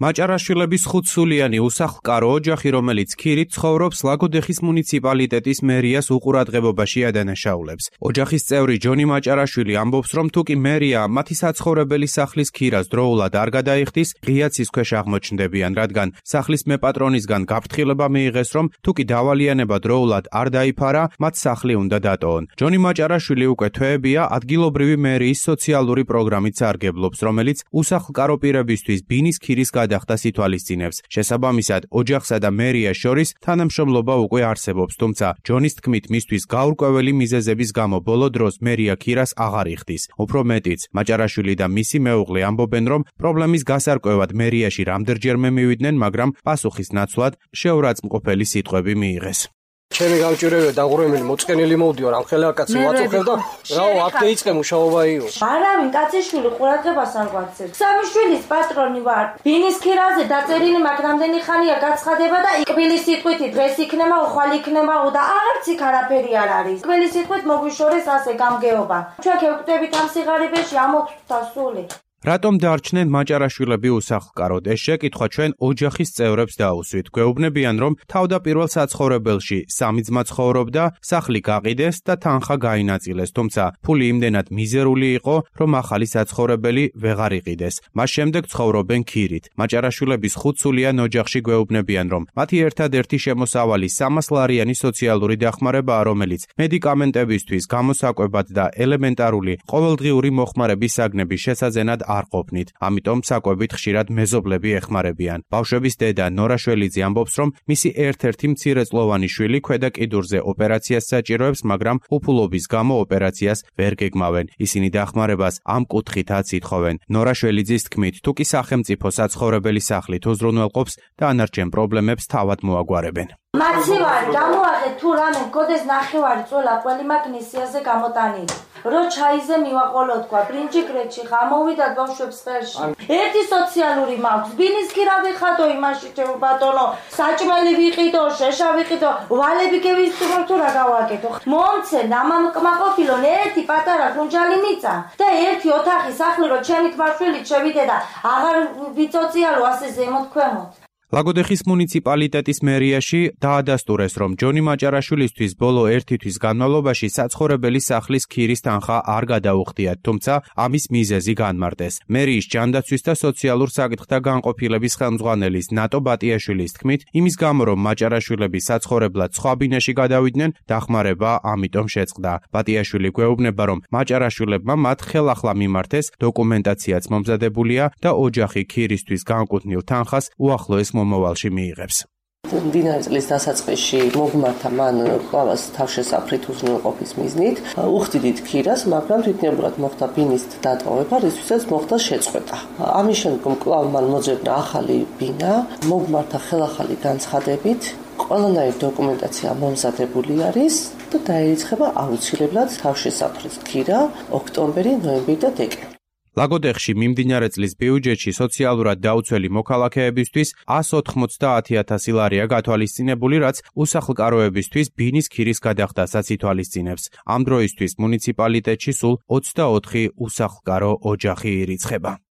მაჭარაშვილების 5-სულიანი უსახლკარო ოჯახი, რომელიც ქირით ცხოვრობს, ლაგოდეხის მუნიციპალიტეტის მერიას უყურადღებობაში ადანაშაულებს. ოჯახის წევრი ჯონი მაჭარაშვილი ამბობს, რომ თუკი მერია მათი საცხოვრებელი სახლის ქირას დროულად არ გადაიხდის, ღიაცის ქვეშ აღმოჩნდებიან, რადგან სახლის მეპატრონისგან გაფრთხილება მიიღეს, რომ თუკი დავალიანება დროულად არ დაიფარა, მათ სახლი უნდა დატოვონ. ჯონი მაჭარაშვილი უკვე თვეებია ადგილობრივი მერიის სოციალური პროგრამით სარგებლობს, რომელიც უსახლკარო პირებისთვის ბინის ქირის გადახდას ითვალისწინებს. შესაბამისად, ოჯახსა და მერიას შორის თანამშრომლობა უკვე არსებობს, თუმცა ჯონის თქმით, მისთვის გაურკვეველი მიზეზების გამო ბოლო დროს მერია ქირას აღარ იხდის. უფრო მეტიც, მაჭარაშვილი და მისი მეუღლე ამბობენ, რომ პრობლემის გასარკვევად მერიაში რამდენჯერმე მივიდნენ, მაგრამ პასუხის ნაცვლად შეურაცხმყოფელი სიტყვები მიიღეს. ჩემი გამჭირვებია დაღურემელი მოწყენილი მოვდიო რამ ხელა კაცი ვაწუხებ და რაო აქ დაიწყე მუშაობა იო. არავინ კაციშვილი ყურადღებას არ გვაქცევს. სამი შვილის პატრონი ვარ. ბინის ქირაზე დაწერილი მაგ რამდენი ხანია გაცხადება და კბილის სიტყვით დღეს იქნება, უხვალ იქნება და აღარც იქ არაფერი არ არის. კბილის სიტყვით მოგვიშორეს ასე გამგეობა. ჩვენ ქევკვდებით ამ სიღარიბეში ამოგვხვდა სული. რატომ დარჩნენ მაჭარაშვილები უსახლკაროდ? ეს შეკითხვა ჩვენ ოჯახის წევრებს დაუსვით. გვეუბნებიან, რომ თავდაპირველ საცხოვრებელში სამი ძმა ცხოვრობდა, სახლი გაყიდეს და თანხა გაინაწილეს, თუმცა ფული იმდენად მიზერული იყო, რომ ახალი საცხოვრებელი ვეღარ იყიდეს. მას შემდეგ ცხოვრობენ ქირით. მაჭარაშვილების 5-სულიან ოჯახში გვეუბნებიან, რომ მათი ერთადერთი შემოსავალი 300 ლარიანი სოციალური დახმარებაა, რომელიც მედიკამენტებისთვის, გამოსაკვებად და ელემენტარული ყოველდღიური მოხმარების საგნების შესაძენად არ ყოფნით, ამიტომ საკვებით ხშირად მეზობლები ეხმარებიან. ბავშვების დედა ნორა შველიძე ამბობს, რომ მისი ერთ-ერთი მცირეწლოვანი შვილი ქვედა კიდურზე ოპერაციას საჭიროებს, მაგრამ უფულობის გამო ოპერაციას ვერ გეგმავენ. ისინი დახმარებას ამ კუთხითაც ითხოვენ. ნორა შველიძის თქმით, თუკი სახელმწიფო საცხოვრებელი სახლით უზრუნველყოფს, დანარჩენ პრობლემებს თავად მოაგვარებენ. მაცივარი გამოაღეთ თუ რამე გოდეს ნახევარი წველა ყველი მაგ ნისიაზე გამოტანილი. რო ჩაიზე მივაყოლო თქვა ბრინჯიკრეთში გამოვიდათ ბავშვებს ხელში. ერთი სოციალური მაქვს, ბინის ქირა ვიხადო იმაში ჩემო ბატონო, საჭმელი ვიყიდო, შეშა ვიყიდო, ვალები გევისწრო თუ რა გავაკეთო. მომცე დამამკმაყოფილო ერთი პატარა გუნჯალი მიწა და ერთი ოთახი სახლი რო ჩემი თმარშვილით შევიდე და აღარ ვიწოციალო ასე ზემოთ ქვემოთ. ლაგოდეხის მუნიციპალიტეტის მერიაში დაადასტურეს, რომ ჯონი მაჭარაშვილისთვის ბოლო 1 თვის განმავლობაში საცხოვრებელი სახლის ქირის თანხა არ გადაუხდიათ, თუმცა ამის მიზეზი განმარტეს. მერიის ჯანდაცვის და სოციალურ საკითხთა განყოფილების ხელმძღვანელის ნატო ბატიაშვილის თქმით, იმის გამო, რომ მაჭარაშვილები საცხოვრებლად სხვა ბინაში გადავიდნენ, დახმარება ამიტომ შეწყდა. ბატიაშვილი გვეუბნება, რომ მაჭარაშვილებმა მათ ხელახლა მიმართეს, დოკუმენტაციაც მომზადებულია და ოჯახი ქირისთვის განკუთვნილ თანხას უახლოეს მომავალში მიიღებს. მდინარე წლის დასაწყისში მოგმართა მან კვლავას თავშესაფრით უზრუნველყოფის მიზნით. უხდიდით ქირას, მაგრამ თვითნებურად მოხდა ბინის დატოვება, რისთვისაც მოხდა შეწყვეტა. ამის შემდგომ კვლავ მან მოძებნა ახალი ბინა, მოგმართა ხელახალი განცხადებით, ყველანაირი დოკუმენტაცია მომზადებული არის და დაირიცხება აუცილებლად თავშესაფრის ქირა ოქტომბერი, ნოემბერი და დეკემბერი. ლაგოდეხში მიმდინარე წლის ბიუჯეტში სოციალურად დაუცველი მოქალაქეებისთვის 190,000 ლარია გათვალისწინებული, რაც უსახლკაროებისთვის ბინის ქირის გადახდასაც ითვალისწინებს. ამ დროისთვის მუნიციპალიტეტში სულ 24 უსახლკარო ოჯახი ირიცხება.